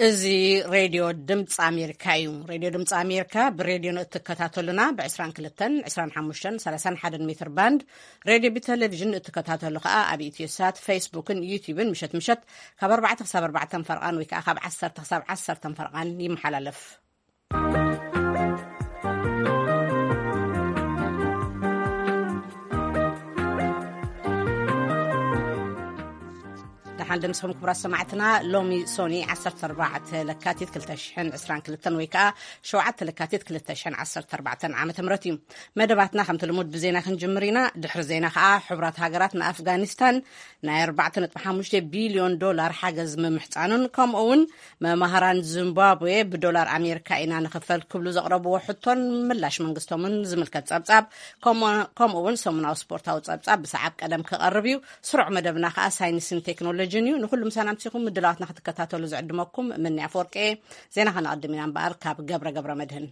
እዚ ሬድዮ ድምፂ ኣሜሪካ እዩ። ሬድዮ ድምፂ ኣሜሪካ ብሬድዮ ንእትከታተሉና ብ22፣ 25፣ 31 ሜትር ባንድ፣ ሬድዮ ብቴሌቪዥን ንእትከታተሉ ከኣ ኣብ ኢትዮ ሳት፣ ፌስቡክን ዩቲዩብን ምሸት ምሸት ካብ ኣርባዕተ ክሳብ ኣርባዕተ ፈርቓን ወይ ከኣ ካብ ዓሰርተ ክሳብ ዓሰርተ ፈርቓን ይመሓላለፍ። ደሓን ደምስኹም ክቡራት ሰማዕትና። ሎሚ ሶኒ ዓሰርተ ኣርባዕተ ለካቲት ክልተ ሽሕን ዕስራን ክልተን ወይ ከኣ ሸውዓተ ለካቲት ክልተ ሽሕን ዓሰርተ ኣርባዕተን ዓመተ ምህረት እዩ። መደባትና ከምቲ ልሙድ ብዜና ክንጅምር ኢና። ድሕሪ ዜና ከኣ ሕቡራት ሃገራት ንኣፍጋኒስታን ናይ ኣርባዕተ ነጥቢ ሓሙሽተ ቢልዮን ዶላር ሓገዝ ምምሕጻኑን ከምኡ እውን መማህራን ዚምባብዌ ብዶላር ኣሜሪካ ኢና ንኽፈል ክብሉ ዘቕረብዎ ሕቶን ምላሽ መንግስቶምን ዝምልከት ጸብጻብ ከምኡ እውን ሰሙናዊ ስፖርታዊ ጸብጻብ ብሰዓብ ቀደም ክቐርብ እዩ። ስሩዕ መደብና ከኣ ሳይንስን ቴክኖሎጂን እዩ። ንኹሉ ምሳና ኣምሲኹም ምድላዋትና ክትከታተሉ ዝዕድመኩም እምኒ ኣፈወርቂ እየ። ዜና ከነቐድም ኢና እምበኣር ካብ ገብረ ገብረ መድህን።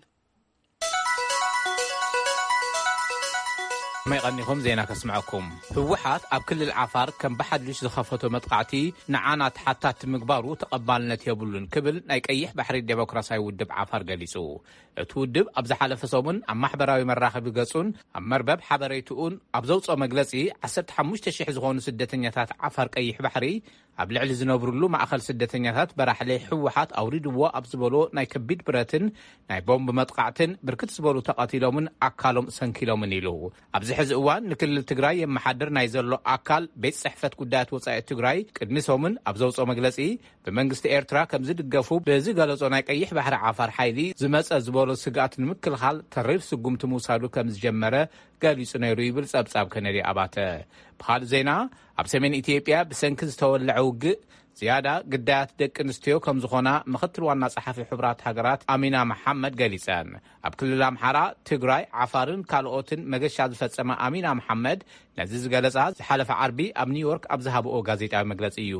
መይቐኒኹም ዜና ከስምዐኩም። ህወሓት ኣብ ክልል ዓፋር ከም ብሓድሽ ዝኸፈቶ መጥቓዕቲ ንዓና ተሓታቲ ምግባሩ ተቐባልነት የብሉን ክብል ናይ ቀይሕ ባሕሪ ዴሞክራሲያዊ ውድብ ዓፋር ገሊጹ። እቲ ውድብ ኣብ ዝሓለፈ ሰሙን ኣብ ማሕበራዊ መራኸቢ ገጹን ኣብ መርበብ ሓበሬትኡን ኣብ ዘውፅኦ መግለጺ ዓሰርተ ሓሙሽተ ሽሕ ዝኾኑ ስደተኛታት ዓፋር ቀይሕ ባሕሪ ኣብ ልዕሊ ዝነብሩሉ ማእኸል ስደተኛታት በራሕለ ህወሓት ኣውሪድዎ ኣብ ዝበሎ ናይ ከቢድ ብረትን ናይ ቦምብ መጥቓዕትን ብርክት ዝበሉ ተቐቲሎምን ኣካሎም ሰንኪሎምን ኢሉ። ኣብዚ ሕዚ እዋን ንክልል ትግራይ የመሓድር ናይ ዘሎ ኣካል ቤት ጽሕፈት ጉዳያት ወጻኢ ትግራይ ቅድሚ ሰሙን ኣብ ዘውፅኦ መግለጺ ብመንግስቲ ኤርትራ ከም ዝድገፉ ብዝገለጾ ናይ ቀይሕ ባሕሪ ዓፋር ሓይሊ ዝመጸ ዝበሎ ስግኣት ንምክልኻል ተሪር ስጉምቲ ምውሳዱ ከም ዝጀመረ ገሊጹ ነይሩ ይብል ጸብጻብ ከነዲ ኣባተ። ብኻልእ ዜና ኣብ ሰሜን ኢትዮጵያ ብሰንኪ ዝተወለዐ ውግእ ዝያዳ ግዳያት ደቂ ኣንስትዮ ከም ዝኾና ምኽትል ዋና ጸሓፊ ሕቡራት ሃገራት ኣሚና መሓመድ ገሊጸን። ኣብ ክልል ኣምሓራ፣ ትግራይ፣ ዓፋርን ካልኦትን መገሻ ዝፈጸመ ኣሚና መሓመድ ነዚ ዝገለጻ ዝሓለፈ ዓርቢ ኣብ ኒውዮርክ ኣብ ዝሃብኦ ጋዜጣዊ መግለጺ እዩ።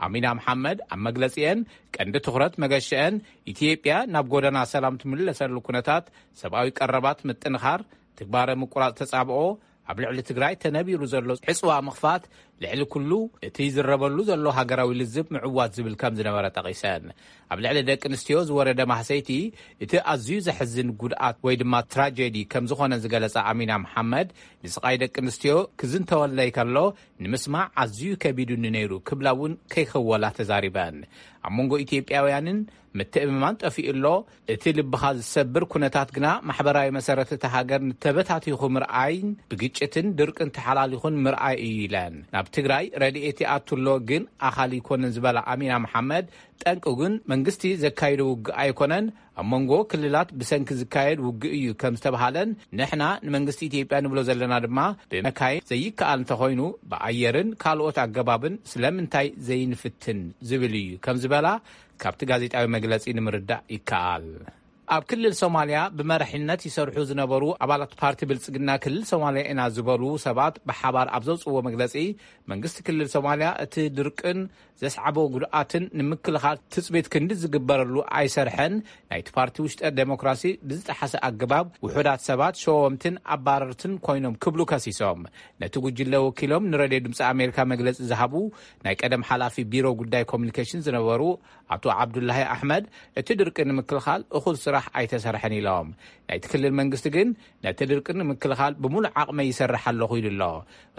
ኣሚና መሓመድ ኣብ መግለጺአን ቀንዲ ትኹረት መገሸአን ኢትዮጵያ ናብ ጎደና ሰላም ትምለሰሉ ኩነታት፣ ሰብኣዊ ቀረባት ምጥንኻር፣ ትግባረ ምቁራጽ ተጻብኦ፣ ኣብ ልዕሊ ትግራይ ተነቢሩ ዘሎ ዕጽዋ ምኽፋት፣ ልዕሊ ኩሉ እቲ ዝረበሉ ዘሎ ሃገራዊ ልዝብ ምዕዋት ዝብል ከም ዝነበረ ጠቒሰን። ኣብ ልዕሊ ደቂ ኣንስትዮ ዝወረደ ማህሰይቲ እቲ ኣዝዩ ዘሕዝን ጉድኣት ወይ ድማ ትራጀዲ ከም ዝኾነ ዝገለጸ ኣሚና መሓመድ፣ ንስቓይ ደቂ ኣንስትዮ ክዝንተወለይ ከሎ ንምስማዕ ኣዝዩ ከቢዱኒ ነይሩ ክብላ እውን ከይከወላ ተዛሪበን። ኣብ መንጎ ኢትዮጵያውያንን ምትእምማን ጠፊኡ ኣሎ። እቲ ልብኻ ዝሰብር ኩነታት ግና ማሕበራዊ መሰረት እታ ሃገር ተበታቲኹ ምርኣይን ብግጭትን ድርቅን ተሓላሊኹን ምርኣይ እዩ ኢለን። ናብ ትግራይ ረድኤት ይኣቱ ኣሎ ግን ኣኻሊ ኣይኮነን ዝበላ ኣሚና መሓመድ፣ ጠንቁ ግን መንግስቲ ዘካይዶ ውግእ ኣይኮነን፣ ኣብ መንጎ ክልላት ብሰንኪ ዝካየድ ውግእ እዩ ከም ዝተብሃለን፣ ንሕና ንመንግስቲ ኢትዮጵያ ንብሎ ዘለና ድማ ብመካይን ዘይከኣል እንተኾይኑ ብኣየርን ካልኦት ኣገባብን ስለምንታይ ዘይንፍትን ዝብል እዩ ከም ዝበላ ካብቲ ጋዜጣዊ መግለጺ ንምርዳእ ይከኣል። ኣብ ክልል ሶማልያ ብመራሒነት ይሰርሑ ዝነበሩ ኣባላት ፓርቲ ብልጽግና ክልል ሶማልያ ኢና ዝበሉ ሰባት ብሓባር ኣብ ዘውፅዎ መግለጺ፣ መንግስቲ ክልል ሶማልያ እቲ ድርቅን ዘስዓቦ ጉድኣትን ንምክልኻል ትጽቢት ክንዲ ዝግበረሉ ኣይሰርሐን፣ ናይቲ ፓርቲ ውሽጠ ዴሞክራሲ ብዝጠሓሰ ኣገባብ ውሑዳት ሰባት ሸወምትን ኣባረርትን ኮይኖም ክብሉ ከሲሶም። ነቲ ጉጅለ ወኪሎም ንሬድዮ ድምፂ ኣሜሪካ መግለፂ ዝሃቡ ናይ ቀደም ሓላፊ ቢሮ ጉዳይ ኮሚኒኬሽን ዝነበሩ ኣቶ ዓብዱላሂ ኣሕመድ፣ እቲ ድርቂ ንምክልኻል እኹል ስራሕ ኣይተሰርሐን ኢሎም። ናይቲ ክልል መንግስቲ ግን ነቲ ድርቂ ንምክልኻል ብሙሉእ ዓቕመይ ይሰርሕ ኣለኹ ኢሉ ኣሎ።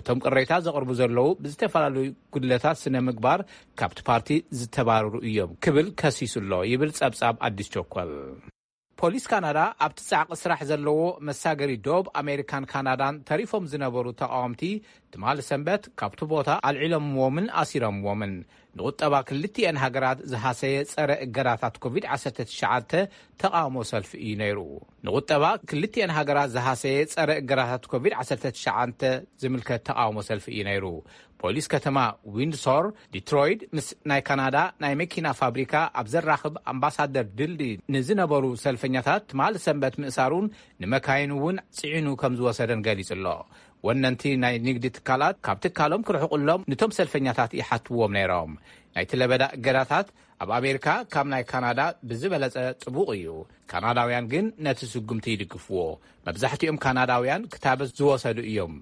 እቶም ቅሬታ ዘቕርቡ ዘለዉ ብዝተፈላለዩ ጉድለታት ስነ ምግባር ካብቲ ፓርቲ ዝተባረሩ እዮም ክብል ከሲሱ ኣሎ ይብል ጸብጻብ ኣዲስ ቸኮል። ፖሊስ ካናዳ ኣብቲ ጻዕቂ ስራሕ ዘለዎ መሳገሪ ዶብ ኣሜሪካን ካናዳን ተሪፎም ዝነበሩ ተቓወምቲ ትማሊ ሰንበት ካብቲ ቦታ ኣልዒሎምዎምን ኣሲሮምዎምን። ንቁጠባ ክልቲኤን ሃገራት ዝሃሰየ ጸረ እገዳታት ኮቪድ ዓሰርተ ትሽዓተ ተቓውሞ ሰልፊ እዩ ነይሩ። ንቁጠባ ክልቲኤን ሃገራት ዝሃሰየ ጸረ እገዳታት ኮቪድ ዓሰርተ ትሽዓተ ዝምልከት ተቓውሞ ሰልፊ እዩ ነይሩ። ፖሊስ ከተማ ዊንድሶር፣ ዲትሮይድ ምስ ናይ ካናዳ ናይ መኪና ፋብሪካ ኣብ ዘራኽብ ኣምባሳደር ድልድይ ንዝነበሩ ሰልፈኛታት ትማሊ ሰንበት ምእሳሩን ንመካይን እውን ጽዒኑ ከም ዝወሰደን ገሊጹ ኣሎ። ወነንቲ ናይ ንግዲ ትካላት ካብ ትካሎም ክርሕቁሎም ንቶም ሰልፈኛታት ይሓትዎም ነይሮም። ናይቲ ለበዳ እገዳታት ኣብ ኣሜሪካ ካብ ናይ ካናዳ ብዝበለጸ ጥቡቕ እዩ። ካናዳውያን ግን ነቲ ስጉምቲ ይድግፍዎ። መብዛሕትኦም ካናዳውያን ክታበት ዝወሰዱ እዮም።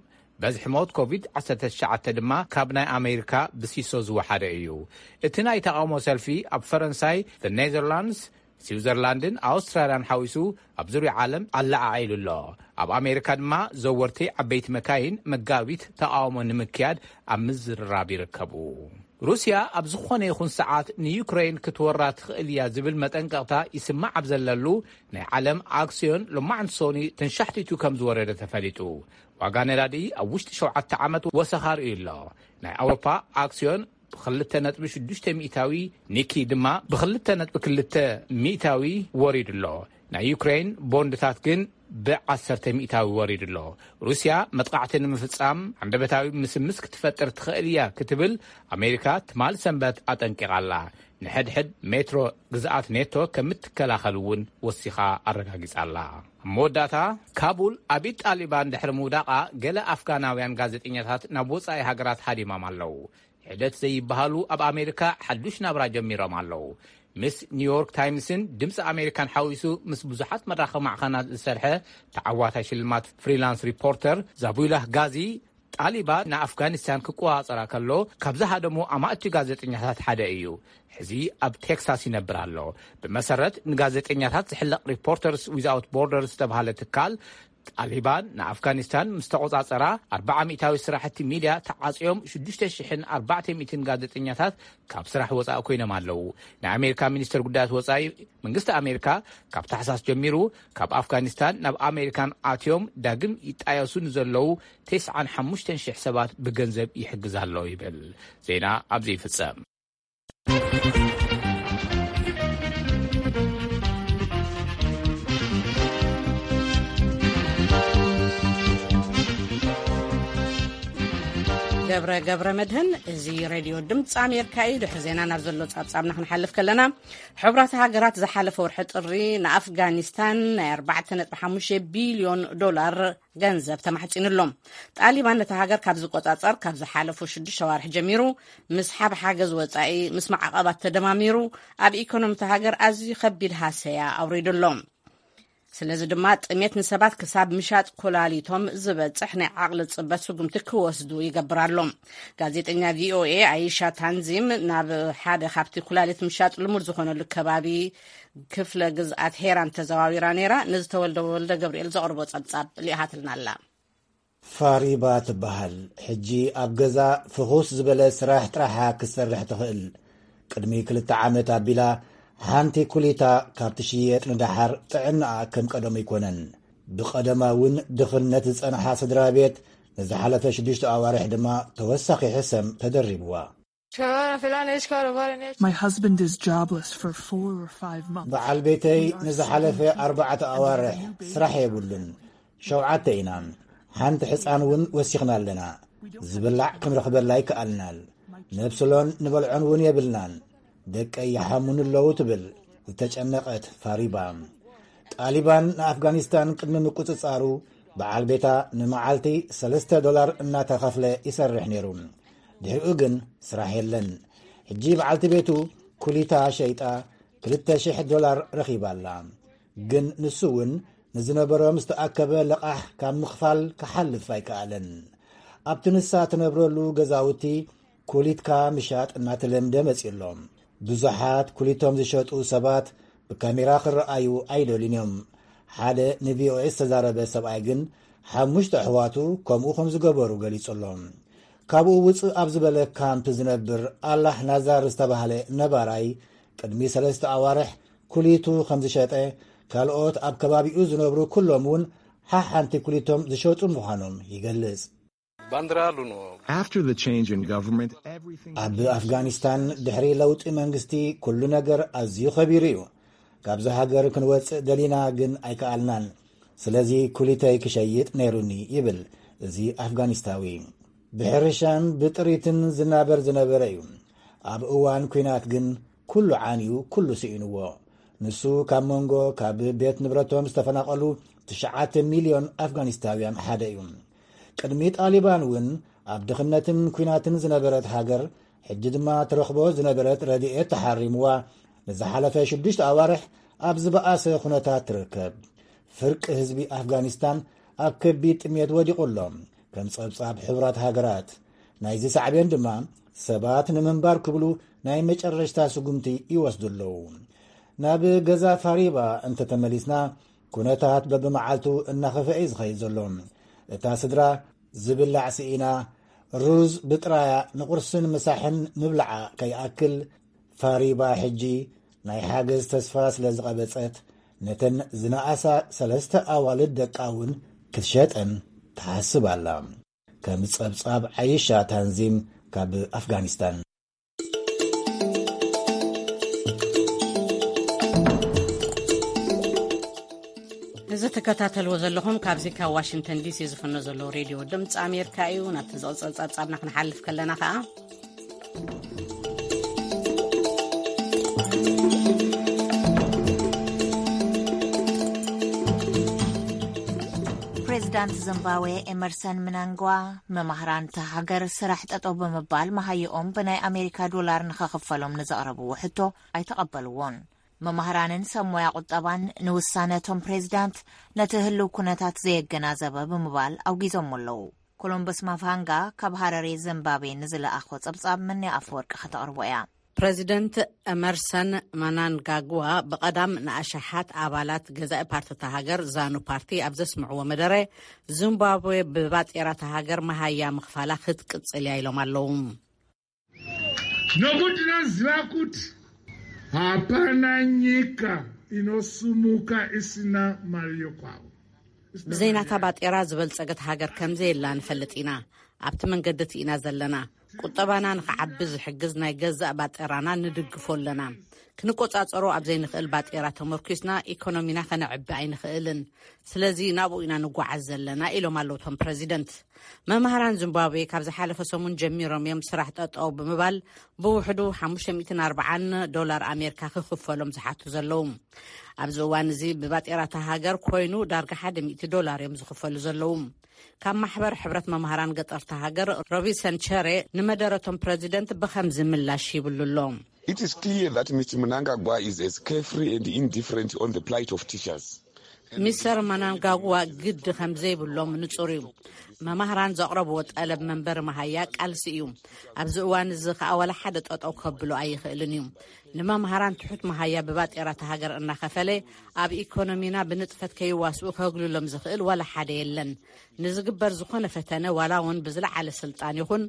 በዝሒ ሞት ኮቪድ ዓሰርተ ትሽዓተ ድማ ካብ ናይ ኣሜሪካ ብሲሶ ዝወሓደ እዩ። እቲ ናይ ተቓውሞ ሰልፊ ኣብ ፈረንሳይ፣ ኔዘርላንድስ፣ ስዊዘርላንድን ኣውስትራልያን ሓዊሱ ኣብ ዙርያ ዓለም ኣለዓዒሉ ኣሎ። ኣብ ኣሜሪካ ድማ ዘወርቲ ዓበይቲ መካይን መጋቢት ተቓውሞ ንምክያድ ኣብ ምዝርራብ ይርከቡ። ሩስያ ኣብ ዝኾነ ይኹን ሰዓት ንዩክሬን ክትወራ ትኽእል እያ ዝብል መጠንቀቕታ ይስማዕ ኣብ ዘለሉ፣ ናይ ዓለም ኣክስዮን ሎማዕንቲ ሶኒ ተንሻሕቲቱ ከም ዝወረደ ተፈሊጡ። ዋጋ ነዳዲ ኣብ ውሽጢ ሸውዓተ ዓመት ወሰኻ ርእዩ ኣሎ። ናይ ኣውሮፓ ኣክስዮን ብ2.6 ሚእታዊ፣ ኒኪ ድማ ብ2.2 ሚእታዊ ወሪዱ ኣሎ። ናይ ዩክሬን ቦንድታት ግን ብ10 ሚእታዊ ወሪዱ ኣሎ። ሩስያ መጥቃዕቲ ንምፍጻም ዓንደበታዊ ምስምስ ክትፈጥር ትኽእል እያ ክትብል ኣሜሪካ ትማል ሰንበት ኣጠንቂቓ ኣላ። ንሕድሕድ ሜትሮ ግዝኣት ኔቶ ከም እትከላኸል እውን ወሲኻ ኣረጋጊጻ ኣላ። ኣብ መወዳእታ፣ ካቡል ኣብ ኢድ ጣሊባን ድሕሪ ምውዳቓ፣ ገለ ኣፍጋናውያን ጋዜጠኛታት ናብ ወጻኢ ሃገራት ሃዲሞም ኣለዉ። ሕደት ዘይበሃሉ ኣብ ኣሜሪካ ሓዱሽ ናብራ ጀሚሮም ኣለዉ። ምስ ኒውዮርክ ታይምስን ድምፂ ኣሜሪካን ሓዊሱ ምስ ብዙሓት መራኸቢ ማዕኸናት ዝሰርሐ ተዓዋታይ ሽልማት ፍሪላንስ ሪፖርተር ዛቡላህ ጋዚ፣ ጣሊባን ንኣፍጋኒስታን ክቆጻጸራ ከሎ ካብ ዝሃደሙ ኣማእቲ ጋዜጠኛታት ሓደ እዩ። ሕዚ ኣብ ቴክሳስ ይነብር ኣሎ። ብመሰረት ንጋዜጠኛታት ዝሕለቕ ሪፖርተርስ ዊዝኣውት ቦርደርስ ዝተባህለ ትካል፣ ጣሊባን ንኣፍጋኒስታን ምስ ተቆጻጸራ፣ ኣርብዓ ሚእታዊ ስራሕቲ ሚድያ ተዓጽዮም፣ ሽዱሽተ ሽሕን ኣርባዕተ ሚእትን ጋዜጠኛታት ካብ ስራሕ ወጻኢ ኮይኖም ኣለዉ። ናይ ኣሜሪካ ሚኒስተር ጉዳያት ወጻኢ መንግስቲ ኣሜሪካ፣ ካብ ታሕሳስ ጀሚሩ ካብ ኣፍጋኒስታን ናብ ኣሜሪካን ኣትዮም ዳግም ይጣየሱ ንዘለዉ ተስዓን ሓሙሽተን ሽሕ ሰባት ብገንዘብ ይሕግዝ ኣሎ ይብል። ዜና ኣብዚ ይፍጸም። ገብረ፣ ገብረ መድህን፣ እዚ ሬድዮ ድምፂ ኣሜሪካ እዩ። ድሕሪ ዜና ናብ ዘሎ ጻብጻብና ክንሓልፍ ከለና፣ ሕቡራት ሃገራት ዝሓለፈ ወርሒ ጥሪ ንኣፍጋኒስታን ናይ ኣርባዕተ ነጥቢ ሓሙሽተ ቢልዮን ዶላር ገንዘብ ተማሕጺኑሎም። ጣሊባን ነታ ሃገር ካብ ዝቆጻጸር ካብ ዝሓለፉ ሽዱሽተ ኣዋርሕ ጀሚሩ፣ ምስ ሓብ ሓገዝ ወጻኢ፣ ምስ ማዕቐባት ተደማሚሩ፣ ኣብ ኢኮኖሚ እታ ሃገር ኣዝዩ ከቢድ ሃሰያ ኣውሪዱ ኣሎ። ስለዚ ድማ ጥሜት ንሰባት ክሳብ ምሻጥ ኮላሊቶም ዝበጽሕ ናይ ዓቕሊ ጽበት ስጉምቲ ክወስዱ ይገብር ኣሎ። ጋዜጠኛ ቪኦኤ ኣይሻ ታንዚም ናብ ሓደ ካብቲ ኩላሊት ምሻጥ ልሙድ ዝኾነሉ ከባቢ ክፍለ ግዝኣት ሄራን ተዘዋዊራ ነይራ። ንዝተወልደ ወልደ ገብርኤል ዘቕርቦ ጸብጻብ ልኢኻትልና ኣላ። ፋሪባ ትበሃል። ሕጂ ኣብ ገዛ ፍኹስ ዝበለ ስራሕ ጥራሓ ክትሰርሕ ትኽእል። ቅድሚ ክልተ ዓመት ኣቢላ ሓንቲ ኩሊታ ካብ ትሽየጥ ንደሓር ጥዕናኣ ከም ቀደሙ ኣይኮነን። ብቐደማ እውን ድኽነት ዝጸንሓ ስድራ ቤት ንዝሓለፈ ሽዱሽተ ኣዋርሕ ድማ ተወሳኺ ሕሰም ተደሪብዋ። My husband is jobless for four or five months. በዓል ቤተይ ንዝሓለፈ ኣርባዕተ ኣዋርሕ ስራሕ የብሉን። ሸውዓተ ኢና። ሓንቲ ሕፃን እውን ወሲኽና ኣለና። ዝብላዕ ክንረኽበላ ኣይከኣልናን። ነብስሎን ንበልዖን እውን የብልናን። ደቀይ ይሓሙኒ ኣለዉ ትብል ዝተጨነቐት ፋሪባ። ጣሊባን ንኣፍጋኒስታን ቅድሚ ምቁጽጻሩ በዓል ቤታ ንመዓልቲ ሰለስተ ዶላር እናተኸፍለ ይሰርሕ ነይሩ። ድሕሪኡ ግን ስራሕ የለን። ሕጂ በዓልቲ ቤቱ ኩሊታ ሸይጣ ክልተ ሽሕ ዶላር ረኺባ ኣላ። ግን ንሱ እውን ንዝነበሮ ምስ ተኣከበ ለቓሕ ካብ ምኽፋል ክሓልፍ ኣይከኣለን። ኣብቲ ንሳ ትነብረሉ ገዛውቲ ኩሊትካ ምሻጥ እናተለምደ መጺኡ ኣሎ። ብዙሓት ኩሊቶም ዝሸጡ ሰባት ብካሜራ ክረኣዩ ኣይደልዩን እዮም። ሓደ ንቪኦኤ ዝተዛረበ ሰብኣይ ግን ሓሙሽተ ኣሕዋቱ ከምኡ ከም ዝገበሩ ገሊጹ ኣሎ። ካብኡ ውጽእ ኣብ ዝበለ ካምፕ ዝነብር ኣላህ ናዛር ዝተባህለ ነባራይ ቅድሚ ሰለስተ ኣዋርሕ ኩሊቱ ከም ዝሸጠ፣ ካልኦት ኣብ ከባቢኡ ዝነብሩ ኩሎም እውን ሓሓንቲ ኩሊቶም ዝሸጡ ምዃኖም ይገልጽ። After the change in government, everything ኣብ ኣፍጋኒስታን ድሕሪ ለውጢ መንግስቲ ኩሉ ነገር ኣዝዩ ኸቢሩ እዩ። ካብዚ ሃገር ክንወጽእ ደሊና ግን ኣይከኣልናን። ስለዚ ኩሊተይ ክሸይጥ ነይሩኒ ይብል እዚ ኣፍጋኒስታዊ። ብሕርሻን ብጥሪትን ዝናበር ዝነበረ እዩ። ኣብ እዋን ኲናት ግን ኩሉ ዓንዩ፣ ኩሉ ስኢንዎ። ንሱ ካብ መንጎ ካብ ቤት ንብረቶም ዝተፈናቐሉ ትሽዓተ ሚልዮን ኣፍጋኒስታውያን ሓደ እዩ። ቅድሚ ጣሊባን እውን ኣብ ድኽነትን ኲናትን ዝነበረት ሃገር፣ ሕጂ ድማ ትረኽቦ ዝነበረት ረድኤት ተሓሪምዋ፣ ንዝሓለፈ ሽዱሽተ ኣዋርሕ ኣብ ዝበኣሰ ኩነታት ትርከብ። ፍርቂ ህዝቢ ኣፍጋኒስታን ኣብ ከቢድ ጥሜት ወዲቑ ኣሎ። ከም ጸብጻብ ሕቡራት ሃገራት፣ ናይዚ ሳዕቤን ድማ ሰባት ንምንባር ክብሉ ናይ መጨረሽታ ስጉምቲ ይወስዱ ኣለዉ። ናብ ገዛ ፋሪባ እንተተመሊስና፣ ኩነታት በብመዓልቱ እናኸፍአ እዩ ዝኸይድ ዘሎ። እታ ስድራ ዝብላዕ ስኢና፣ ሩዝ ብጥራያ ንቁርስን ምሳሕን ምብላዓ ከይኣክል፣ ፋሪባ ሕጂ ናይ ሓገዝ ተስፋ ስለ ዝቐበጸት፣ ነተን ዝነኣሳ ሰለስተ ኣዋልድ ደቃ እውን ክትሸጠን ትሓስብ ኣላ። ከም ጸብጻብ ዓይሻ ታንዚም ካብ ኣፍጋኒስታን። እዚ ትከታተልዎ ዘለኹም ካብዚ ካብ ዋሽንግተን ዲሲ ዝፍኖ ዘሎ ሬድዮ ድምፂ ኣሜሪካ እዩ። ናብቲ ዝቕፅል ጸብጻብና ክንሓልፍ ከለና ከኣ፣ ፕሬዚዳንት ዚምባብዌ ኤመርሰን ምናንጓ፣ መማህራን እታ ሃገር ስራሕ ጠጠው ብምባል መሃይኦም ብናይ ኣሜሪካ ዶላር ንኸኽፈሎም ንዘቕረብዎ ሕቶ ኣይተቐበልዎን። መማህራንን ሰብ ሞያ ቁጠባን ንውሳነ እቶም ፕሬዚዳንት ነቲ ህልው ኩነታት ዘየገናዘበ ብምባል ኣውጊዞሞ ኣለዉ። ኮሎምበስ ማፋንጋ ካብ ሃረሬ ዚምባብዌ ንዝለኣኾ ጸብጻብ መኒ ኣፈወርቂ ከተቕርቦ እያ። ፕረዚደንት ኤመርሰን መናንጋግዋ ብቐዳም ንኣሽሓት ኣባላት ገዛኢ ፓርቲ እታ ሃገር ዛኑ ፓርቲ ኣብ ዘስምዕዎ መደረ፣ ዚምባብዌ ብባጤራ እታ ሃገር መሃያ ምኽፋላ ክትቅጽል እያ ኢሎም ኣለዉ። Nokuti tinoziva kuti hapana nyika inosumuka isina mari yokwavo. ብዘይናታ ባጤራ ዝበልጸገት ሃገር ከም ዘየላ ንፈልጥ ኢና። ኣብቲ መንገዲ እቲ ኢና ዘለና። ቁጠባና ንኽዓቢ ዝሕግዝ ናይ ገዛእ ባጤራና ንድግፎ ኣለና። ክንቆጻጸሮ ኣብ ዘይንኽእል ባጤራ ተመርኪስና ኢኮኖሚና ከነዕቢ ኣይንኽእልን። ስለዚ ናብኡ ኢና ንጓዓዝ ዘለና ኢሎም ኣለዉ እቶም ፕረዚደንት። መማህራን ዚምባብዌ ካብ ዝሓለፈ ሰሙን ጀሚሮም እዮም ስራሕ ጠጠው ብምባል ብውሕዱ ሓሙሽተ ሚእትን ኣርባዓን ዶላር ኣሜሪካ ክኽፈሎም ዝሓቱ ዘለዉ። ኣብዚ እዋን እዚ ብባጤራታ ሃገር ኮይኑ ዳርጋ ሓደ ሚእቲ ዶላር እዮም ዝኽፈሉ ዘለዉ። ካብ ማሕበር ሕብረት መማህራን ገጠርታ ሃገር ሮቢሰን ቸሬ ንመደረቶም ፕረዚደንት ብኸምዚ ምላሽ ይብሉ ኣሎ። It is clear that Mister Mnangagwa is as carefree and indifferent on the plight of teachers. ሚስተር መናንጋግዋ ግዲ ከም ዘይብሎም ንጹር እዩ። መማህራን ዘቕረብዎ ጠለብ መንበሪ መሃያ ቃልሲ እዩ። ኣብዚ እዋን እዚ ከኣ ዋላ ሓደ ጠጠው ከብሎ ኣይኽእልን እዩ። ንመማህራን ትሑት መሃያ ብባጤራ እታ ሃገር እናኸፈለ ኣብ ኢኮኖሚና ብንጥፈት ከይዋስኡ ከግልሎም ዝኽእል ዋላ ሓደ የለን። ንዝግበር ዝኾነ ፈተነ ዋላ እውን ብዝለዓለ ስልጣን ይኹን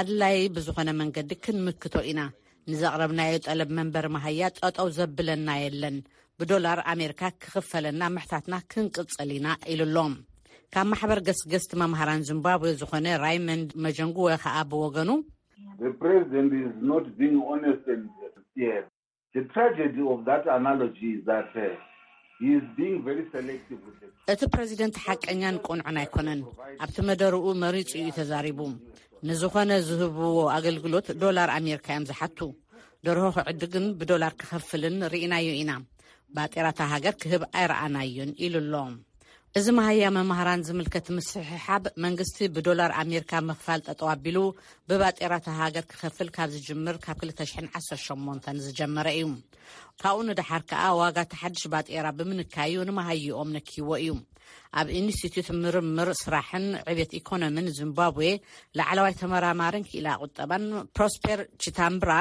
ኣድላይ ብዝኾነ መንገዲ ክንምክቶ ኢና። ንዘቕረብናዮ ጠለብ መንበሪ መሃያ ጠጠው ዘብለና የለን። ብዶላር ኣሜሪካ ክኽፈለና ምሕታትና ክንቅጽል ኢና ኢሉ ኣሎ። ካብ ማሕበር ገስገስቲ መምሃራን ዚምባብዌ ዝኾነ ራይመንድ መጀንጉወ ከኣ ብወገኑ፣ The president is not being honest and sincere. The tragedy of that analogy is that uh, he is being very selective with the እቲ ፕረዚደንት ሓቀኛን ቅኑዕን ኣይኮነን። ኣብቲ መደርኡ መሪጹ እዩ ተዛሪቡ። ንዝኾነ ዝህብዎ ኣገልግሎት ዶላር ኣሜሪካ እዮም ዝሓቱ። ደርሆ ክዕድግን ብዶላር ክኸፍልን ርኢናዮ ኢና። ባጤራታ ሃገር ክህብ ኣይረኣናዮን ኢሉ ኣሎ። እዚ መሃያ መማህራን ዝምልከት ምስሕሓብ መንግስቲ ብዶላር ኣሜሪካ ምኽፋል ጠጠው ኣቢሉ ብባጤራታ ሃገር ክኸፍል ካብ ዝጅምር ካብ ክልተ ሽሕን ዓሰርተ ሸሞንተን ዝጀመረ እዩ። ካብኡ ንደሓር ከኣ ዋጋ እቲ ሓድሽ ባጤራ ብምንካዩ ንመሃይኦም ነኪዎ እዩ። ኣብ ኢንስቲትዩት ምርምር ስራሕን ዕብየት ኢኮኖሚን ዚምባብዌ ላዕለዋይ ተመራማርን ክኢላ ቁጠባን ፕሮስፔር ቺታምብራ፣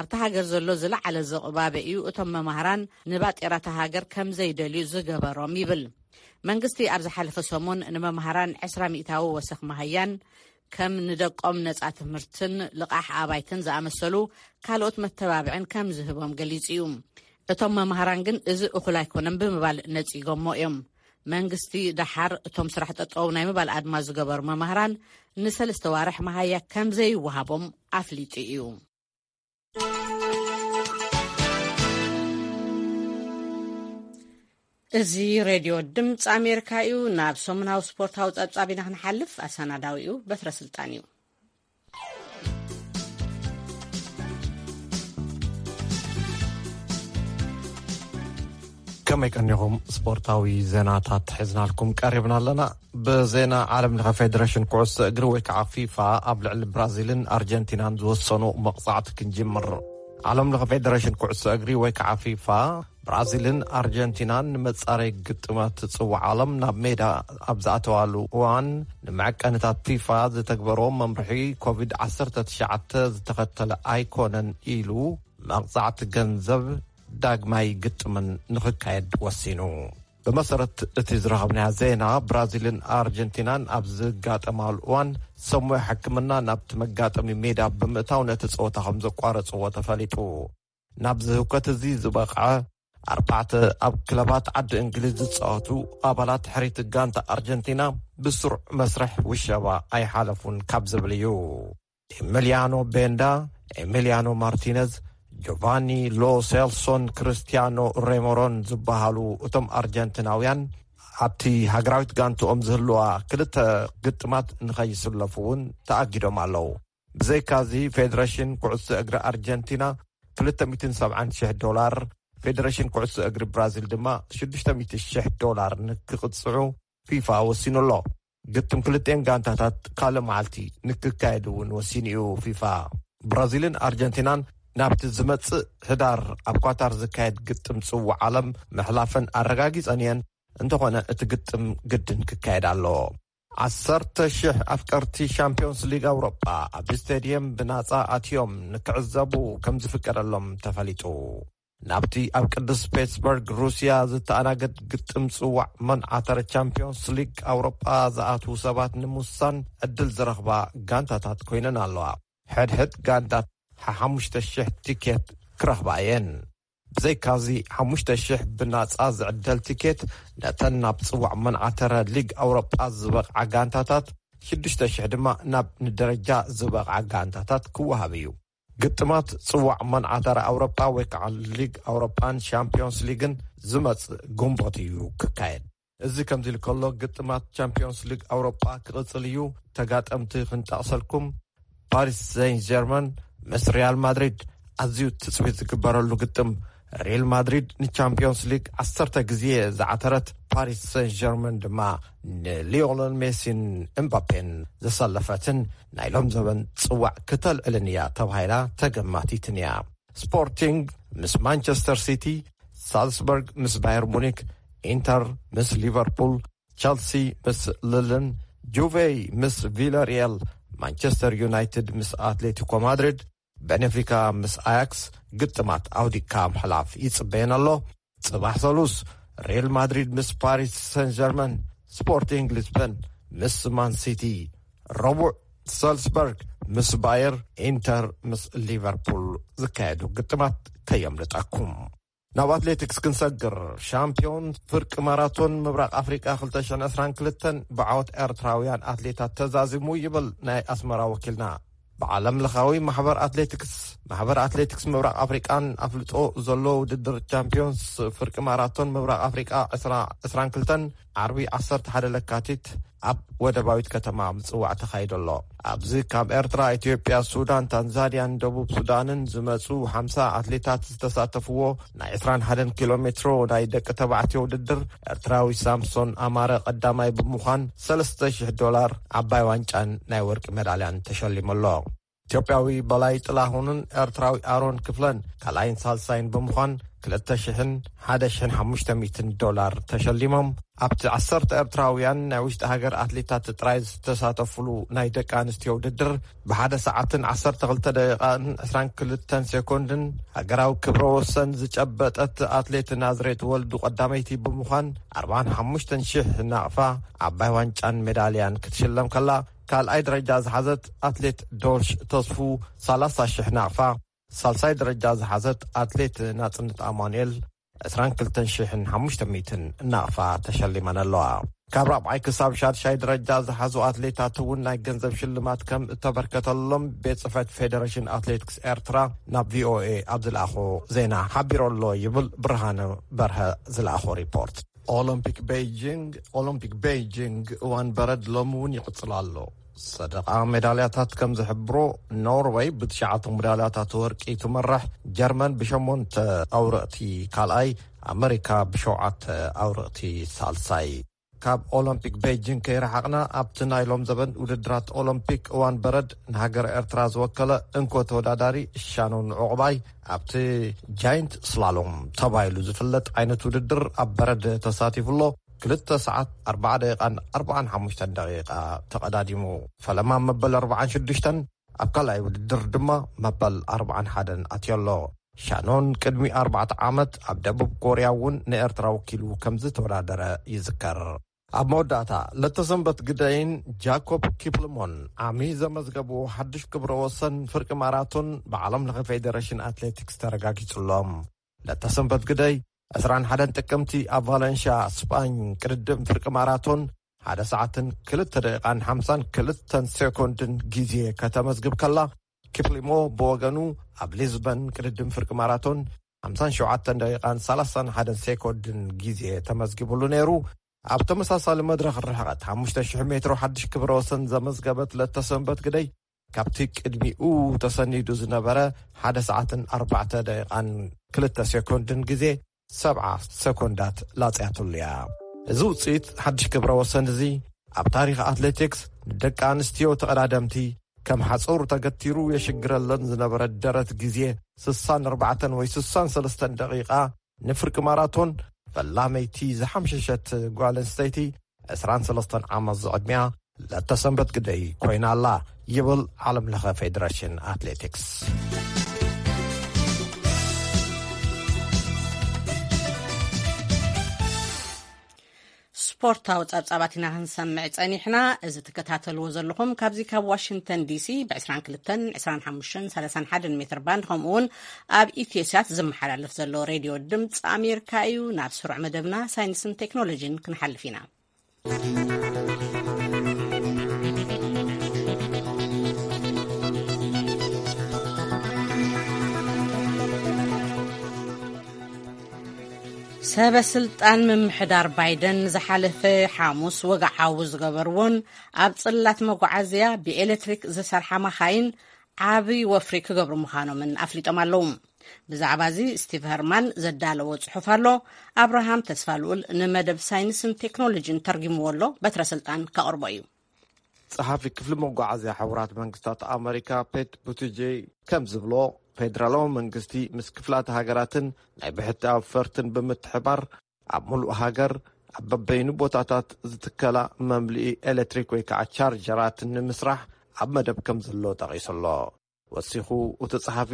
ኣብታ ሃገር ዘሎ ዝለዓለ ዝቕባበ እዩ እቶም መማህራን ንባጤራታ ሃገር ከም ዘይደልዩ ዝገበሮም ይብል። መንግስቲ ኣብ ዝሓለፈ ሰሙን ንመማህራን ዕስራ ሚእታዊ ወሰኽ መሃያን ከም ንደቆም ነጻ ትምህርትን ልቓሕ ኣባይትን ዝኣመሰሉ ካልኦት መተባብዕን ከም ዝህቦም ገሊጹ እዩ። እቶም መማህራን ግን እዚ እኹል ኣይኮነን ብምባል ነጺጎሞ እዮም። መንግስቲ ደሓር እቶም ስራሕ ጠጠው ናይ ምባል ኣድማ ዝገበሩ መማህራን ንሰለስተ ዋርሕ መሃያ ከም ዘይወሃቦም ኣፍሊጡ እዩ። እዚ ሬድዮ ድምፂ ኣሜሪካ እዩ። ናብ ሰሙናዊ ስፖርታዊ ጸብጻብ ኢና ክንሓልፍ። ኣሰናዳዊኡ በትረ ስልጣን እዩ። ከመይ ቀኒኹም? ስፖርታዊ ዜናታት ሒዝናልኩም ቀሪብና ኣለና። ብዜና ዓለም ለኸ ፌደሬሽን ኩዕሶ እግሪ ወይ ከዓ ፊፋ ኣብ ልዕሊ ብራዚልን ኣርጀንቲናን ዝወሰኖ መቕጻዕቲ ክንጅምር። ዓለም ለኸ ፌደሬሽን ኩዕሶ እግሪ ወይ ከዓ ፊፋ፣ ብራዚልን ኣርጀንቲናን ንመጻረይ ግጥማት ጽዋዕ ዓለም ናብ ሜዳ ኣብ ዝኣተዋሉ እዋን፣ ንመዐቀንታት ፊፋ ዝተግበሮ መምርሒ ኮቪድ ዓሰርተ ትሽዓተ ዝተኸተለ ኣይኮነን ኢሉ፣ መቕጻዕቲ ገንዘብ ዳግማይ ግጥምን ንኽካየድ ወሲኑ። ብመሰረት እቲ ዝረኸብናዮ ዜና፣ ብራዚልን ኣርጀንቲናን ኣብ ዝጋጠማሉ እዋን፣ ሰሙያ ሕክምና ናብቲ መጋጠሚ ሜዳ ብምእታው ነቲ ጸወታ ከም ዘቋረጽዎ ተፈሊጡ። ናብዚ ህውከት እዚ ዝበቕዐ፣ ኣርባዕተ ኣብ ክለባት ዓዲ እንግሊዝ ዝጻወቱ ኣባላት ሕሪት ጋንታ ኣርጀንቲና ብስሩዕ መስርሕ ውሸባ ኣይሓለፉን ካብ ዝብል እዩ። ኤሚሊያኖ ቤንዳ፣ ኤሚሊያኖ ማርቲነዝ፣ ጆቫኒ ሎ ሴልሶን ክርስቲያኖ ሬሞሮን ዝበሃሉ እቶም ኣርጀንቲናውያን፣ ኣብቲ ሃገራዊት ጋንትኦም ዝህልዋ ክልተ ግጥማት ንኸይስለፉ እውን ተኣጊዶም ኣለዉ። ብዘይካዚ፣ ፌደሬሽን ኩዕሶ እግሪ ኣርጀንቲና ክልተ ሚእትን ሰብዓን ሽሕ ዶላር፣ ፌደሬሽን ኩዕሶ እግሪ ብራዚል ድማ ሽዱሽተ ሚእቲ ሽሕ ዶላር ንክቕጽዑ ፊፋ ወሲኑ ኣሎ። ግጥም ክልቲኤን ጋንታታት ካልእ መዓልቲ ንክካየድ እውን ወሲኑ እዩ ፊፋ። ብራዚልን ኣርጀንቲናን ናብቲ ዝመጽእ ህዳር ኣብ ኳታር ዝካየድ ግጥም ጽዋዕ ዓለም ምሕላፈን ኣረጋጊጸን እየን። እንተኾነ፣ እቲ ግጥም ግድን ክካየድ ኣለዎ። ዓሰርተ ሽሕ ኣፍቀርቲ ሻምፒዮንስ ሊግ ኣውሮጳ ኣብ ስቴድየም ብናጻ ኣትዮም ንክዕዘቡ ከም ዝፍቀደሎም ተፈሊጡ። ናብቲ ኣብ ቅዱስ ፔትስበርግ ሩስያ ዝተኣናገድ ግጥም ጽዋዕ መንዓተረ ቻምፒዮንስ ሊግ ኣውሮጳ ዝኣትዉ ሰባት ንምውሳን ዕድል ዝረኽባ ጋንታታት ኮይነን ኣለዋ። ሕድሕድ ጋንታት ሓሙሽተ ሽሕ ቲኬት ክረኽባ እየን። ብዘይካዚ፣ ሓሙሽተ ሽሕ ብናጻ ዝዕደል ቲኬት ነተን ናብ ጽዋዕ መንዓተረ ሊግ ኣውሮጳ ዝበቕዓ ጋንታታት፣ ሽዱሽተ ሽሕ ድማ ናብ ንደረጃ ዝበቕዓ ጋንታታት ክወሃብ እዩ። ግጥማት ጽዋዕ መንዓተረ ኣውሮጳ ወይ ከዓ ሊግ ኣውሮጳን ሻምፒዮንስ ሊግን ዝመጽእ ግንቦት እዩ ክካየድ። እዚ ከምዚ ኢሉ ከሎ፣ ግጥማት ቻምፒዮንስ ሊግ ኣውሮጳ ክቕጽል እዩ። ተጋጠምቲ ክንጠቕሰልኩም፣ ፓሪስ ሴን ጀርመን ምስ ሪያል ማድሪድ ኣዝዩ ትጽቢት ዝግበረሉ ግጥም። ሪያል ማድሪድ ንቻምፒዮንስ ሊግ ዓሰርተ ግዜ ዝዓተረት ፓሪስ ሴን ጀርመን ድማ ንሊዮነል ሜሲን እምባፔን ዘሰለፈትን ናይ ሎም ዘበን ጽዋዕ ክተልዕልን እያ ተባሂላ ተገማቲትን እያ። ስፖርቲንግ ምስ ማንቸስተር ሲቲ፣ ሳልስበርግ ምስ ባየር ሙኒክ፣ ኢንተር ምስ ሊቨርፑል፣ ቸልሲ ምስ ልልን፣ ጁቬ ምስ ቪላሪያል፣ ማንቸስተር ዩናይትድ ምስ ኣትሌቲኮ ማድሪድ፣ ቤኔፊካ ምስ ኣያክስ ግጥማት ኣውዲቅካ ምሕላፍ ይጽበየን ኣሎ። ጽባሕ ሰሉስ፣ ሪያል ማድሪድ ምስ ፓሪስ ሰን ጀርመን፣ ስፖርቲንግ ሊስበን ምስ ማን ሲቲ፣ ረቡዕ፣ ሰልስበርግ ምስ ባየር፣ ኢንተር ምስ ሊቨርፑል ዝካየዱ ግጥማት ከየምልጠኩም። ናብ ኣትሌቲክስ ክንሰግር፣ ሻምፒዮን ፍርቂ ማራቶን ምብራቕ ኣፍሪቃ ክልተ ሽሕን ዕስራን ክልተን ብዓወት ኤርትራውያን ኣትሌታት ተዛዚሙ ይብል ናይ ኣስመራ ወኪልና። ብዓለም ለኻዊ ማሕበር ኣትሌቲክስ፣ ማሕበር ኣትሌቲክስ ምብራቕ ኣፍሪቃን ኣፍልጦ ዘሎ ውድድር ቻምፒዮንስ ፍርቂ ማራቶን ምብራቕ ኣፍሪቃ ዕስራ ዕስራን ክልተን ዓርቢ ዓሰርተ ሓደ ለካቲት ኣብ ወደባዊት ከተማ ምጽዋዕ ተኻይዱ ኣሎ። ኣብዚ ካብ ኤርትራ፣ ኢትዮጵያ፣ ሱዳን፣ ታንዛንያን ደቡብ ሱዳንን ዝመጹ ሓምሳ ኣትሌታት ዝተሳተፍዎ ናይ ዕስራን ሓደን ኪሎ ሜትሮ ናይ ደቂ ተባዕትዮ ውድድር፣ ኤርትራዊ ሳምሶን ኣማረ ቀዳማይ ብምዃን ሰለስተ ሽሕ ዶላር ዓባይ ዋንጫን ናይ ወርቂ ሜዳልያን ተሸሊሙ ኣሎ። ኢትዮጵያዊ በላይ ጥላሁንን ኤርትራዊ ኣሮን ክፍለን ካልኣይን ሳልሳይን ብምዃን ክልተ ሽሕን ሓደ ሽሕን ሓሙሽተ ሚእትን ዶላር ተሸሊሞም። ኣብቲ ዓሰርተ ኤርትራውያን ናይ ውሽጢ ሃገር ኣትሌታት ጥራይ ዝተሳተፉሉ ናይ ደቂ ኣንስትዮ ውድድር፣ ብሓደ ሰዓትን ዓሰርተ ክልተ ደቂቓን ዕስራን ክልተን ሴኮንድን ሃገራዊ ክብረ ወሰን ዝጨበጠት ኣትሌት ናዝሬት ወልዱ ቀዳመይቲ ብምዃን ኣርባን ሓሙሽተን ሽሕ ናቕፋ ዓባይ ዋንጫን ሜዳልያን ክትሽለም ከላ፣ ካልኣይ ደረጃ ዝሓዘት ኣትሌት ዶርሽ ተስፉ ሰላሳ ሽሕ ናቕፋ፣ ሳልሳይ ደረጃ ዝሓዘት ኣትሌት ናጽነት ኣማኑኤል ዕስራን ክልተን ሽሕን ሓሙሽተ ሚእትን ናቕፋ ተሸሊመን ኣለዋ። ካብ ራብዓይ ክሳብ ሻድሻይ ደረጃ ዝሓዙ ኣትሌታት እውን ናይ ገንዘብ ሽልማት ከም እተበርከተሎም ቤት ጽሕፈት ፌደሬሽን ኣትሌቲክስ ኤርትራ ናብ ቪኦኤ ኣብ ዝለኣኾ ዜና ሓቢሩ ኣሎ ይብል ብርሃነ በርሀ ዝለኣኾ ሪፖርት። ኦሎምፒክ ቤይጂንግ፣ ኦሎምፒክ ቤይጂንግ እዋን በረድ ሎሚ እውን ይቕጽል ኣሎ። ሰደቓ ሜዳልያታት ከም ዝሕብሮ፣ ኖርወይ ብትሽዓተ ሜዳልያታት ወርቂ ትመርሕ፣ ጀርመን ብሸሞንተ ኣውርቕቲ ካልኣይ፣ ኣመሪካ ብሸውዓተ ኣውርቕቲ ሳልሳይ። ካብ ኦሎምፒክ ቤጂንግ ከይረሓቕና፣ ኣብቲ ናይ ሎም ዘበን ውድድራት ኦሎምፒክ እዋን በረድ ንሃገር ኤርትራ ዝወከለ እንኮ ተወዳዳሪ ሻኖን ዑቕባይ ኣብቲ ጃይንት ስላሎም ተባሂሉ ዝፍለጥ ዓይነት ውድድር ኣብ በረድ ተሳቲፉ ኣሎ። ክልተ ሰዓት ኣርባዓ ደቂቓን ኣርባዓን ሓሙሽተን ደቂቓ ተቐዳዲሙ። ፈለማ መበል ኣርባዓን ሽዱሽተን፣ ኣብ ካልኣይ ውድድር ድማ መበል ኣርባዓን ሓደን ኣትዮ ኣሎ። ሻኖን ቅድሚ ኣርባዕተ ዓመት ኣብ ደቡብ ኮርያ እውን ንኤርትራ ወኪሉ ከም ዝተወዳደረ ይዝከር። ኣብ መወዳእታ፣ ለተሰንበት ግደይን ጃኮብ ኪፕልሞን ዓሚ ዘመዝገብዎ ሓድሽ ክብረ ወሰን ፍርቂ ማራቶን ብዓለም ለኸ ፌደሬሽን ኣትሌቲክስ ተረጋጊጹሎም። ለተሰንበት ግደይ ዕስራን ሓደን ጥቅምቲ ኣብ ቫለንሻ ስጳኝ ቅድድም ፍርቂ ማራቶን ሓደ ሰዓትን ክልተ ደቂቓን ሓምሳን ክልተን ሴኮንድን ግዜ ከተመዝግብ ከላ፣ ኪፕሊሞ ብወገኑ ኣብ ሊዝበን ቅድድም ፍርቂ ማራቶን ሓምሳን ሸውዓተን ደቂቓን ሰላሳን ሓደን ሴኮንድን ግዜ ተመዝጊቡሉ ነይሩ። ኣብ ተመሳሳሊ መድረኽ ርሕቐት ሓሙሽተ ሽሕ ሜትሮ ሓድሽ ክብረ ወሰን ዘመዝገበት ለተሰንበት ግደይ፣ ካብቲ ቅድሚኡ ተሰኒዱ ዝነበረ ሓደ ሰዓትን ኣርባዕተ ደቂቓን ክልተ ሴኮንድን ግዜ ሰብዓ ሰኮንዳት ላጽያትሉ እያ። እዚ ውጽኢት ሓድሽ ክብረ ወሰን እዚ ኣብ ታሪኽ ኣትሌቲክስ ንደቂ ኣንስትዮ ተቐዳደምቲ ከም ሓጹር ተገቲሩ የሽግረለን ዝነበረ ደረት ግዜ ስሳን ኣርባዕተን ወይ ስሳን ሰለስተን ደቂቓ ንፍርቂ ማራቶን ፈላመይቲ ዝሓምሸሸት ጓል ኣንስተይቲ ዕስራን ሰለስተን ዓመት ዝዕድሚያ ለተሰንበት ግደይ ኮይና ኣላ ይብል ዓለም ለኸ ፌደሬሽን ኣትሌቲክስ። ስፖርታዊ ጸብጻባት ኢና ክንሰምዕ ጸኒሕና። እዚ ትከታተልዎ ዘለኹም ካብዚ ካብ ዋሽንግተን ዲሲ ብ22፣ 25፣ 31 ሜትር ባንድ፣ ከምኡ እውን ኣብ ኢትዮሳት ዝመሓላለፍ ዘሎ ሬድዮ ድምፂ ኣሜሪካ እዩ። ናብ ስሩዕ መደብና ሳይንስን ቴክኖሎጂን ክንሓልፍ ኢና። ሰበ ስልጣን ምምሕዳር ባይደን ዝሓለፈ ሓሙስ ወግዓዊ ዝገበርዎን ኣብ ጽላት መጓዓዝያ ብኤሌክትሪክ ዝሰርሓ መኻይን ዓቢ ወፍሪ ክገብሩ ምዃኖምን ኣፍሊጦም ኣለዉ። ብዛዕባ እዚ ስቲቭ ሀርማን ዘዳለዎ ጽሑፍ ኣሎ። ኣብርሃም ተስፋልኡል ንመደብ ሳይንስን ቴክኖሎጂን ተርጊምዎ ኣሎ። በትረ ስልጣን ከቕርቦ እዩ። ጸሓፊ ክፍሊ መጓዓዝያ ሕቡራት መንግስታት ኣመሪካ ፔት ቡቲጄ ከም ዝብሎ፣ ፌደራላዊ መንግስቲ ምስ ክፍላት ሃገራትን ናይ ብሕቲ ኣውፈርትን ብምትሕባር ኣብ ሙሉእ ሃገር ኣብ በበይኑ ቦታታት ዝትከላ መምልኢ ኤሌክትሪክ ወይ ከዓ ቻርጀራት ንምስራሕ ኣብ መደብ ከም ዘሎ ጠቒሱ ኣሎ። ወሲኹ እቲ ጸሓፊ፣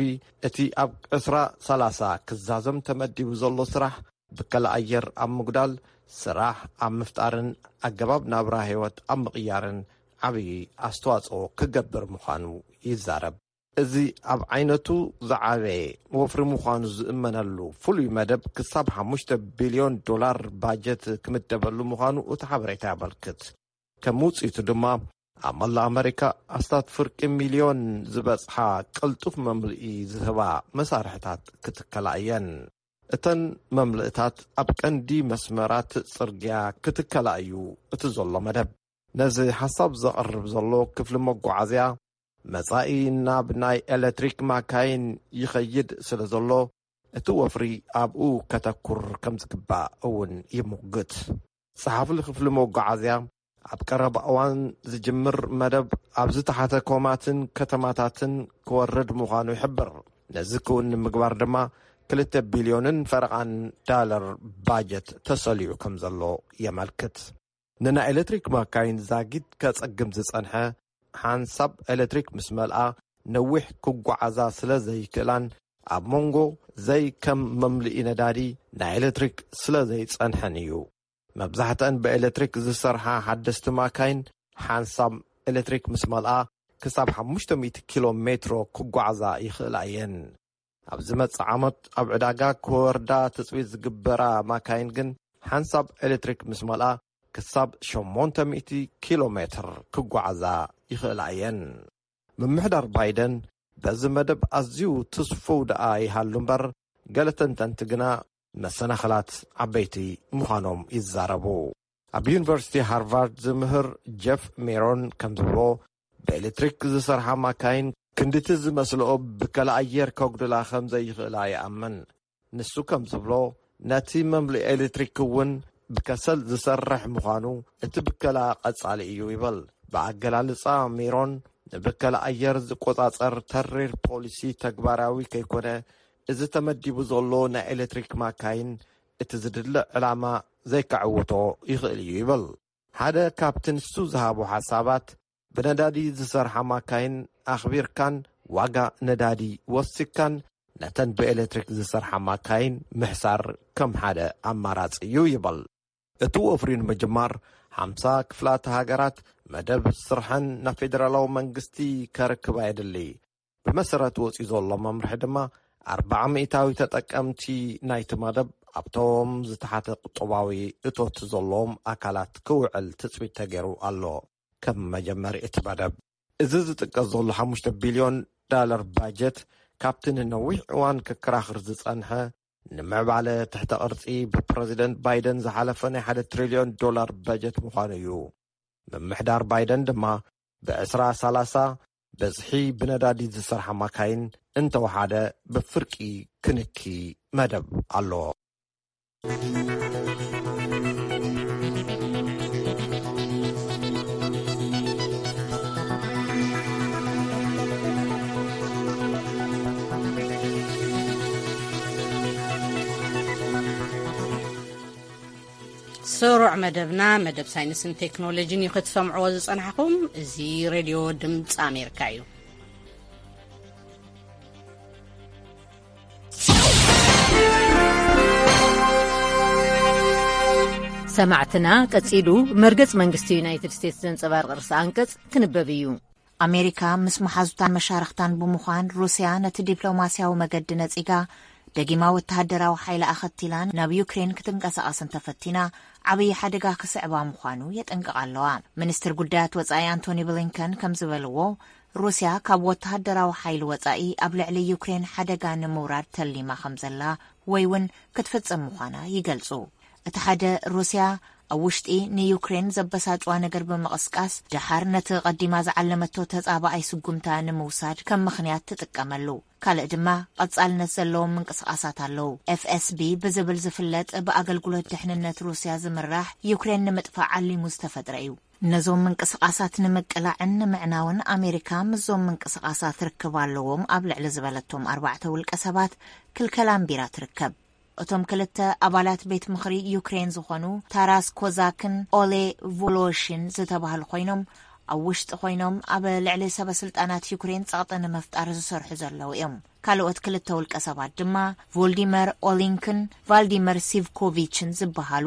እቲ ኣብ ዕስራ ሰላሳ ክዛዘም ተመዲቡ ዘሎ ስራሕ ብከላ ኣየር ኣብ ምጉዳል፣ ስራሕ ኣብ ምፍጣርን ኣገባብ ናብራ ህይወት ኣብ ምቕያርን ዓብዪ ኣስተዋጽኦ ክገብር ምዃኑ ይዛረብ። እዚ ኣብ ዓይነቱ ዝዓበየ ወፍሪ ምዃኑ ዝእመነሉ ፍሉይ መደብ ክሳብ ሓሙሽተ ቢልዮን ዶላር ባጀት ክምደበሉ ምዃኑ እቲ ሓበሬታ ያመልክት። ከም ውጽኢቱ ድማ ኣብ መላእ ኣመሪካ ኣስታት ፍርቂ ሚልዮን ዝበጽሓ ቅልጡፍ መምልኢ ዝህባ መሳርሕታት ክትከላ እየን። እተን መምልእታት ኣብ ቀንዲ መስመራት ጽርግያ ክትከላ እዩ እቲ ዘሎ መደብ። ነዚ ሓሳብ ዘቕርብ ዘሎ ክፍሊ መጓዓዝያ፣ መጻኢ ናብ ናይ ኤሌክትሪክ ማካይን ይኸይድ ስለ ዘሎ፣ እቲ ወፍሪ ኣብኡ ከተኩር ከም ዝግባእ እውን ይሙግት። ጸሓፊ ክፍሊ መጓዓዝያ፣ ኣብ ቀረባ እዋን ዝጅምር መደብ ኣብ ዝተሓተ ኮማትን ከተማታትን ክወርድ ምዃኑ ይሕብር። ነዚ ክውን ንምግባር ድማ ክልተ ቢልዮንን ፈረቓን ዳለር ባጀት ተሰሊዑ ከም ዘሎ የመልክት። ንናይ ኤሌክትሪክ ማካይን ዛጊድ ከጸግም ዝጸንሐ፣ ሓንሳብ ኤሌክትሪክ ምስ መልኣ ነዊሕ ክጓዓዛ ስለ ዘይክእላን ኣብ መንጎ ዘይከም መምልኢ ነዳዲ ናይ ኤሌክትሪክ ስለ ዘይጸንሐን እዩ። መብዛሕትአን ብኤሌክትሪክ ዝሰርሓ ሓደስቲ ማካይን ሓንሳብ ኤሌክትሪክ ምስ መልኣ ክሳብ ሓሙሽተ ሚእቲ ኪሎ ሜትሮ ክጓዓዛ ይኽእላ እየን። ኣብ ዝመጽእ ዓመት ኣብ ዕዳጋ ክወርዳ ትጽቢት ዝግበራ ማካይን ግን ሓንሳብ ኤሌክትሪክ ምስ መልኣ ክሳብ ሸሞንተ ሚእቲ ኪሎ ሜትር ክጓዓዛ ይኽእላ እየን። ምምሕዳር ባይደን በዚ መደብ ኣዝዩ ትስፉው ደኣ ይሃሉ እምበር፣ ገለ ተንተንቲ ግና መሰናኽላት ዓበይቲ ምዃኖም ይዛረቡ። ኣብ ዩኒቨርሲቲ ሃርቫርድ ዝምህር ጀፍ ሜሮን ከም ዝብሎ፣ ብኤሌክትሪክ ዝሰርሓ ማካይን ክንድቲ ዝመስልኦ ብከላ ኣየር ከጉድላ ከም ዘይኽእላ ይኣምን። ንሱ ከም ዝብሎ፣ ነቲ መምልኢ ኤሌክትሪክ እውን ብከሰል ዝሰርሕ ምዃኑ እቲ ብከላ ቀጻሊ እዩ ይብል። ብኣገላልጻ ሜሮን፣ ንብከላ ኣየር ዝቆጻጸር ተሪር ፖሊሲ ተግባራዊ ከይኮነ፣ እዚ ተመዲቡ ዘሎ ናይ ኤሌክትሪክ ማካይን እቲ ዝድለ ዕላማ ዘይከዕውቶ ይኽእል እዩ ይብል። ሓደ ካብቲ ንሱ ዝሃቦ ሓሳባት፣ ብነዳዲ ዝሰርሓ ማካይን ኣኽቢርካን ዋጋ ነዳዲ ወሲኽካን ነተን ብኤሌክትሪክ ዝሰርሓ ማካይን ምሕሳር ከም ሓደ ኣማራጺ እዩ ይብል። እቲ ወፍሪ ንምጅማር፣ ሓምሳ ክፍላተ ሃገራት መደብ ስርሐን ናብ ፌደራላዊ መንግስቲ ከርክባ የድሊ። ብመሰረት ወጺኡ ዘሎ መምርሒ ድማ፣ ኣርብዓ ሚእታዊ ተጠቀምቲ ናይቲ መደብ ኣብቶም ዝተሓተ ቁጠባዊ እቶት ዘለዎም ኣካላት ክውዕል ትጽቢት ተገይሩ ኣሎ። ከም መጀመሪ እቲ መደብ፣ እዚ ዝጥቀስ ዘሎ ሓሙሽተ ቢልዮን ዳለር ባጀት፣ ካብቲ ንነዊሕ እዋን ክከራኽር ዝጸንሐ፣ ንምዕባለ ትሕተ ቅርጺ ብፕረዚደንት ባይደን ዝሓለፈ ናይ ሓደ ትሪልዮን ዶላር በጀት ምዃኑ እዩ። ምምሕዳር ባይደን ድማ፣ ብ ዕስራ ሰላሳ ብዝሒ ብነዳዲ ዝሰርሓ ማካይን እንተወሓደ ብፍርቂ ክንኪ መደብ ኣለዎ። ስሩዕ መደብና፣ መደብ ሳይንስን ቴክኖሎጂን እዩ ክትሰምዕዎ ዝጸናሕኹም። እዚ ሬድዮ ድምፂ ኣሜሪካ እዩ። ሰማዕትና፣ ቀጺሉ መርገጽ መንግስቲ ዩናይትድ ስቴትስ ዘንጸባርቕ ርእሰ ኣንቀጽ ክንበብ እዩ። ኣሜሪካ ምስ መሓዙታን መሻርኽታን ብምዃን፣ ሩስያ ነቲ ዲፕሎማስያዊ መገዲ ነጺጋ፣ ደጊማ ወተሃደራዊ ሓይላ ኣኸቲላን ናብ ዩክሬን ክትንቀሳቐስን ተፈቲና፣ ዓብዪ ሓደጋ ክስዕባ ምዃኑ የጠንቅቓ ኣለዋ። ሚኒስትር ጉዳያት ወጻኢ ኣንቶኒ ብሊንከን ከም ዝበልዎ፣ ሩስያ ካብ ወተሃደራዊ ሓይሊ ወጻኢ ኣብ ልዕሊ ዩክሬን ሓደጋ ንምውራድ ተሊማ ከም ዘላ ወይ እውን ክትፍጽም ምዃና ይገልጹ። እቲ ሓደ፣ ሩስያ ኣብ ውሽጢ ንዩክሬን ዘበሳጭዋ ነገር ብምቕስቃስ፣ ደሓር ነቲ ቀዲማ ዝዓለመቶ ተጻባኣይ ስጉምታ ንምውሳድ ከም ምኽንያት ትጥቀመሉ። ካልእ ድማ፣ ቀጻልነት ዘለዎም ምንቅስቓሳት ኣለዉ። ኤፍ ኤስ ቢ ብዝብል ዝፍለጥ ብኣገልግሎት ድሕንነት ሩስያ ዝምራሕ፣ ዩክሬን ንምጥፋእ ዓሊሙ ዝተፈጥረ እዩ። ነዞም ምንቅስቓሳት ንምቅላዕን ንምዕናውን ኣሜሪካ ምስዞም ምንቅስቓሳት ርክብ ኣለዎም ኣብ ልዕሊ ዝበለቶም ኣርባዕተ ውልቀ ሰባት ክልከላ ኣንቢራ ትርከብ። እቶም ክልተ ኣባላት ቤት ምኽሪ ዩክሬን ዝኾኑ ታራስ ኮዛክን ኦሌ ቮሎሽን ዝተባህሉ ኮይኖም፣ ኣብ ውሽጢ ኮይኖም ኣብ ልዕሊ ሰበ ስልጣናት ዩክሬን ጸቕጢ ንምፍጣር ዝሰርሑ ዘለዉ እዮም። ካልኦት ክልተ ውልቀ ሰባት ድማ ቮልዲመር ኦሊንክን ቫልዲመር ሲቭኮቪችን ዝበሃሉ፣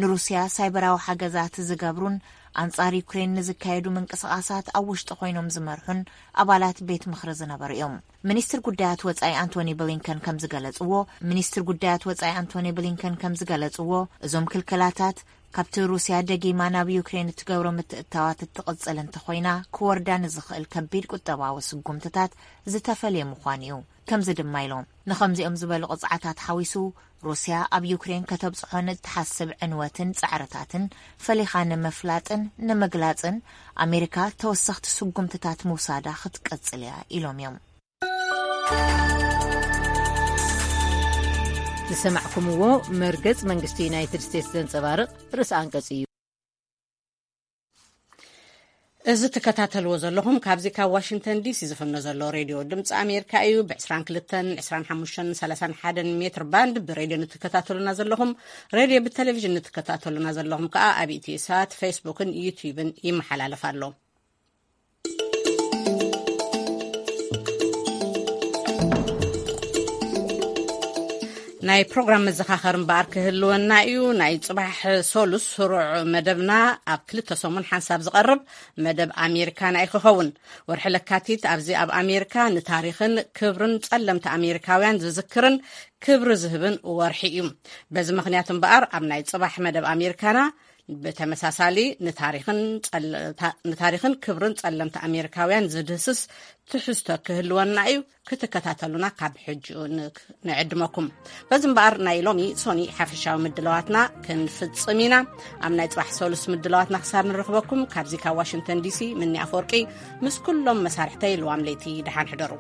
ንሩስያ ሳይበራዊ ሓገዛት ዝገብሩን ኣንጻር ዩክሬን ንዝካየዱ ምንቅስቓሳት ኣብ ውሽጢ ኮይኖም ዝመርሑን ኣባላት ቤት ምኽሪ ዝነበሩ እዮም። ሚኒስትር ጉዳያት ወጻኢ ኣንቶኒ ብሊንከን ከም ዝገለጽዎ፣ ሚኒስትር ጉዳያት ወጻኢ ኣንቶኒ ብሊንከን ከም ዝገለጽዎ፣ እዞም ክልከላታት ካብቲ ሩስያ ደጊማ ናብ ዩክሬን እትገብሮ ምትእትታዋት እትቕጽል እንተኾይና፣ ክወርዳ ንዝኽእል ከቢድ ቁጠባዊ ስጉምትታት ዝተፈልየ ምዃኑ እዩ። ከምዚ ድማ ኢሎም፣ ንኸምዚኦም ዝበሉ ቅጽዓታት ሓዊሱ፣ ሩስያ ኣብ ዩክሬን ከተብጽሖ ንእትሓስብ ዕንወትን ጻዕርታትን ፈሊኻ ንምፍላጥን ንምግላጽን፣ ኣሜሪካ ተወሰኽቲ ስጉምትታት ምውሳዳ ክትቀጽል እያ ኢሎም እዮም። ዝሰማዕኩምዎ መርገጽ መንግስቲ ዩናይትድ ስቴትስ ዘንጸባርቕ ርእሰ ኣንቀጽ እዩ። እዚ ትከታተልዎ ዘለኹም ካብዚ ካብ ዋሽንግተን ዲሲ ዝፍኖ ዘሎ ሬድዮ ድምፂ ኣሜሪካ እዩ። ብ ዕስራን ክልተን፣ ዕስራን ሓሙሽተን፣ ሰላሳን ሓደን ሜትር ባንድ ብሬድዮ ንትከታተሉና ዘለኹም፣ ሬድዮ ብቴሌቪዥን ንትከታተሉና ዘለኹም ከዓ ኣብ ኢትዮ ሳት፣ ፌስቡክን ዩትዩብን ይመሓላለፍ ኣሎ። ናይ ፕሮግራም መዘኻኸር እምበኣር ክህልወና እዩ። ናይ ጽባሕ ሰሉስ ስሩዕ መደብና ኣብ ክልተ ሰሙን ሓንሳብ ዝቐርብ መደብ ኣሜሪካና እዩ ክኸውን። ወርሒ ለካቲት ኣብዚ ኣብ ኣሜሪካ ንታሪኽን ክብርን ጸለምቲ ኣሜሪካውያን ዝዝክርን ክብሪ ዝህብን ወርሒ እዩ። በዚ ምኽንያት እምበኣር ኣብ ናይ ጽባሕ መደብ ኣሜሪካና ብተመሳሳሊ ንታሪኽን ጸለ-፣ ታ-፣ ንታሪኽን ክብርን ጸለምቲ ኣሜሪካውያን ዝድህስስ ትሕዝቶ ክህልወና እዩ። ክትከታተሉና ካብ ሕጂኡ ን-፣ ንዕድመኩም። በዚ እምበኣር ናይ ሎሚ ሶኒ ሓፈሻዊ ምድላዋትና ክንፍጽም ኢና። ኣብ ናይ ጽባሕ ሰሉስ ምድላዋትና ክሳብ ንረኽበኩም ካብዚ ካብ ዋሽንግተን ዲሲ ምኒ ኣፈወርቂ ምስ ኩሎም መሳርሕተይ ልዋም ለይቲ ደሓን ሕደሩ።